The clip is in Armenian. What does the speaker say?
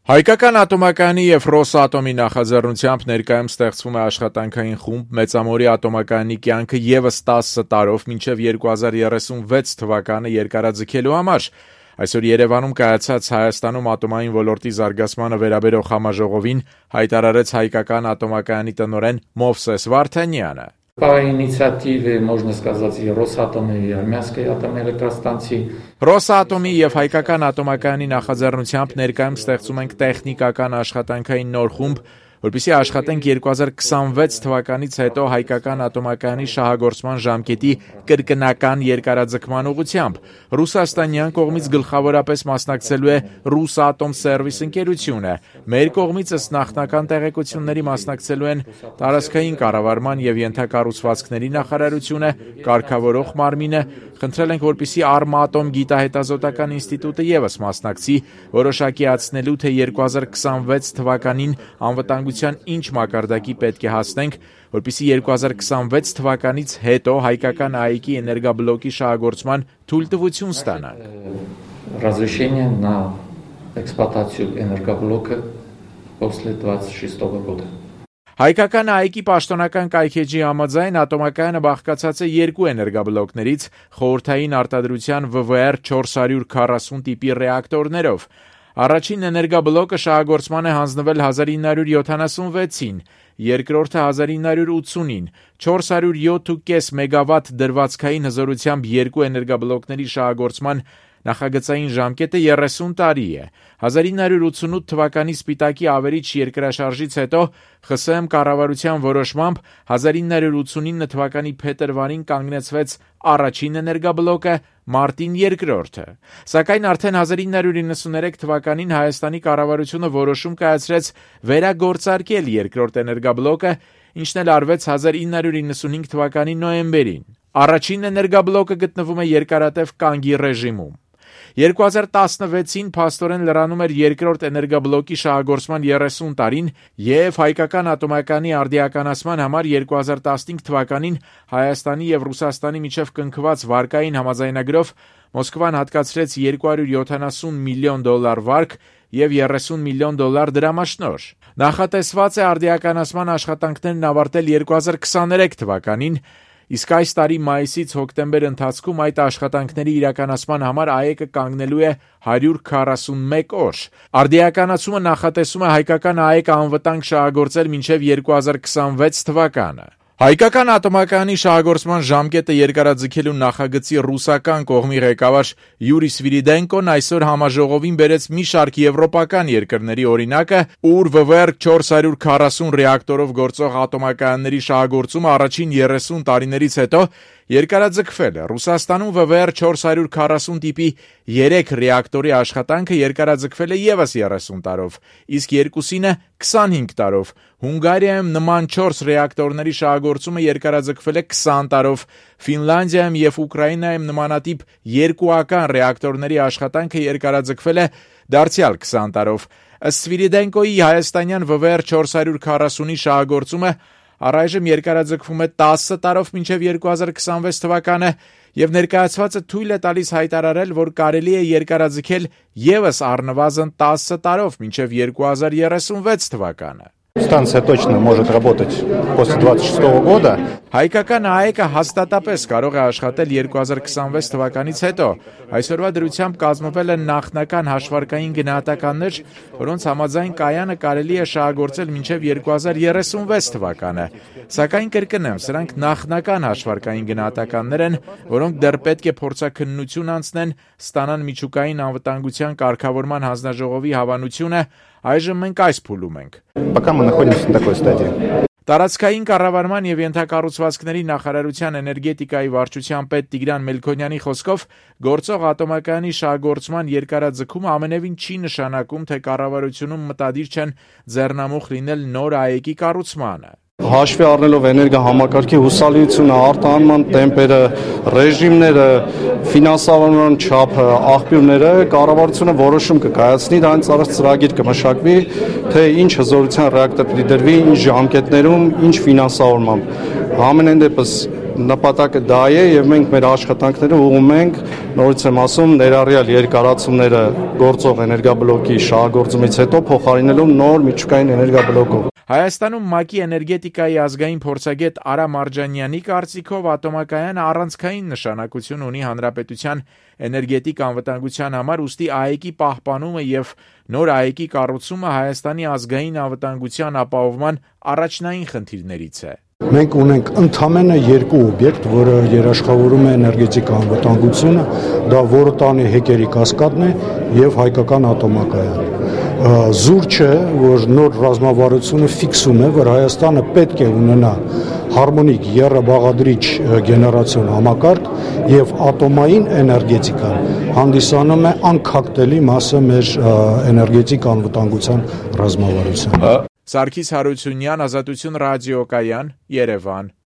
Հայկական ատոմակայանի եւ Ռոսատոմի նախաձեռնությամբ ներկայում ստեղծվում է աշխատանքային խումբ Մեծամորի ատոմակայանի կյանքը եւս 10 տարով մինչեւ 2036 թվականը երկարաձգելու համար։ Այսօր Երևանում կայացած Հայաստանում ատոմային ոլորտի զարգացմանը վերաբերող համաժողովին հայտարարեց հայկական ատոմակայանի տնօրեն Մովսես Վարդանյանը։ По инициативе, можно сказать, и Росатома, и Армянской атомной электростанции. Ռոսատոմի եւ հայկական ատոմակայանի նախաձեռնությամբ ներկայում ստեղծում ենք տեխնիկական աշխատանքային նոր խումբ, որպեսզի աշխատենք 2026 թվականից հետո հայկական ատոմակայանի շահագործման ժամկետի կրկնական երկարաձգման ուղղությամբ։ Ռուսաստանյան կողմից գլխավորապես մասնակցելու է Ռուսատոմ սերվիս ընկերությունը։ Մեր կողմից ըստ նախնական տեղեկությունների մասնակցելու են տարածքային կառավարման եւ ենթակառուցվածքների նախարարությունը, կարգավորող մարմինը։ Խնդրել ենք, որպեսզի Արմատոմ գիտահետազոտական ինստիտուտը եւս մասնակցի, որոշակիացնելու թե 2026 թվականին անվտանգության ինչ մակարդակի պետք է հասնենք, որպեսզի 2026 թվականից հետո հայկական ԱԻԿ-ի էներգաբլոկի շահագործման թույլտվություն ստանանք։ Разрешение на эксплуатацию энергоблока после 26 года. Հայկական ԱԻԿ-ի պաշտոնական կայքեջի համաձայն ատոմակայանը բաղկացած է երկու էներգաբլոկներից խորհրդային արտադրության VVR 440 տիպի ռեակտորներով։ Առաջին էներգաբլոկը շահագործման է հանձնվել 1976-ին, երկրորդը 1980-ին, 407.5 մեգավատ դրվածքային հզորությամբ երկու էներգաբլոկների շահագործման նախագծային ժամկետը 30 տարի է։ 1988 թվականի Սպիտակի ավերիչ երկրաշարժից հետո ԽՍՀՄ կառավարության որոշմամբ 1989 թվականի փետրվարին կանգնեցվեց առաջին էներգաբլոկը, մարտին երկրորդը։ Սակայն արդեն 1993 թվականին Հայաստանի կառավարությունը որոշում կայացրեց վերագործարկել երկրորդ էներգաբլոկը, ինչն էլ արվեց 1995 թվականի նոյեմբերին։ Առաջին էներգաբլոկը գտնվում է երկարատև կանգի ռեժիմում։ 2016-ին փաստորեն լրանում էր երկրորդ էներգաբլոկի շահագործման 30 տարին եւ հայկական ատոմակայանի արդիականացման համար 2015 թվականին Հայաստանի եւ Ռուսաստանի միջև կնքված վարկային համաձայնագրով Մոսկվան հատկացրեց $270 միլիոն վարկ եւ $30 միլիոն դրամաշնոր։ Նախատեսված է արդիականացման աշխատանքներն ավարտել 2023 թվականին, իսկ այս տարի մայիսից հոկտեմբեր ընթացքում այդ աշխատանքների իրականացման համար ԱԵԿ-ը կանգնելու է 141 օր։ Արդիականացումը նախատեսում է հայկական ԱԵԿ-ը անվտանգ շահագործել մինչև 2026 թվականը։ Հայկական ատոմակայանի շահագործման ժամկետը երկարաձգելու նախագծի ռուսական կողմի ղեկավար Յուրի Սվիրիդենկոն այսօր համաժողովին բերեց մի շարք եվրոպական երկրների օրինակը, ուր VVR 440 ռեակտորով գործող ատոմակայանների շահագործումը առաջին 30 տարիներից հետո երկարաձգվել է։ Ռուսաստանում VVR 440 տիպի 3 ռեակտորի աշխատանքը երկարաձգվել է եւս 30 տարով, իսկ երկուսինը 25 տարով։ Հունգարիայում նման 4 ռեակտորների շահագործումը երկարաձգվել է 20 տարով։ Ֆինլանդիայում եւ Ուկրաինայում նմանատիպ երկուական ռեակտորների աշխատանքը երկարաձգվել է դարձյալ 20 տարով։ Ըստ Սվիրիդենկոյի հայաստանյան VVR 440-ի շահագործումը առայժմ երկարաձգվում է 10 տարով մինչև 2026 թվականը եւ ներկայացվածը թույլ է տալիս հայտարարել, որ կարելի է երկարաձգել եւս առնվազն 10 տարով մինչև 2036 թվականը։ Станция точно может работать после 26 года. Հայկական ԱԵԿ-ը հաստատապես կարող է աշխատել 2026 թվականից հետո։ Այսօրվա դրությամբ կազմվել են նախնական հաշվարկային գնահատականներ, որոնց համաձայն կայանը կարելի է շահագործել մինչև 2036 թվականը։ Սակայն կրկնեմ, սրանք նախնական հաշվարկային գնահատականներ են, որոնք դեռ պետք է փորձաքննություն անցնեն, ստանան միջուկային անվտանգության կարգավորման հանձնաժողովի հավանությունը։ Այժմ մենք այս փուլում ենք։ Пока мы находимся на такой стадии. Տարածքային կառավարման եւ ենթակառուցվածքների նախարարության էներգետիկայի վարչության պետ Տիգրան Մելքոնյանի խոսքով գործող ատոմակայանի շահագործման երկարաձգումը ամենևին չի նշանակում, թե կառավարությունում մտադիր չեն ձեռնամուխ լինել նոր ԱԵԿ-ի կառուցմանը։ Հաշվի առնելով էներգահամակարգի հուսալիությունը, արտահանման տեմպերը, ռեժիմները, ֆինանսավորման չափը, աղբյուրները, կառավարությունը որոշում կկայացնի, դրանից առաջ ծրագիր կմշակվի, թե ինչ հզորության ռեակտոր պիտի դրվի, ինչ ժամկետներում, ինչ ֆինանսավորմամբ։ Ամենայն դեպս նպատակը դա է եւ մենք մեր աշխատանքները ուղղում ենք, նորից եմ ասում, ներառյալ երկարացումները գործող էներգաբլոկի շահագործումից հետո փոխարինելով նոր միջուկային էներգաբլոկով։ Հայաստանում ՄԱԿ-ի էներգետիկայի ազգային փորձագետ Արա Մարջանյանի կարծիքով ատոմակայանը առանցքային նշանակություն ունի հանրապետության էներգետիկ անվտանգության համար, ուստի ԱԵԿ-ի պահպանումը եւ նոր ԱԵԿ-ի կառուցումը Հայաստանի ազգային անվտանգության ապահովման առաջնային խնդիրներից է։ Մենք ունենք ընդամենը երկու օբյեկտ, որը երաշխավորում է էներգետիկ անվտանգությունը, դա Որոտանի հեկերի կասկադն է եւ հայկական ատոմակայանը։ Զուր չէ, որ նոր ռազմավարությունը ֆիքսում է, որ Հայաստանը պետք է ունենա հարմոնիկ եռաբաղադրիչ գեներացիոն համակարգ եւ ատոմային էներգետիկան հանդիսանում է անքակտելի մասը մեր էներգետիկ անվտանգության ռազմավարության։ Սարգիս Հարությունյան, Ազատություն ռադիոկայան, Երևան։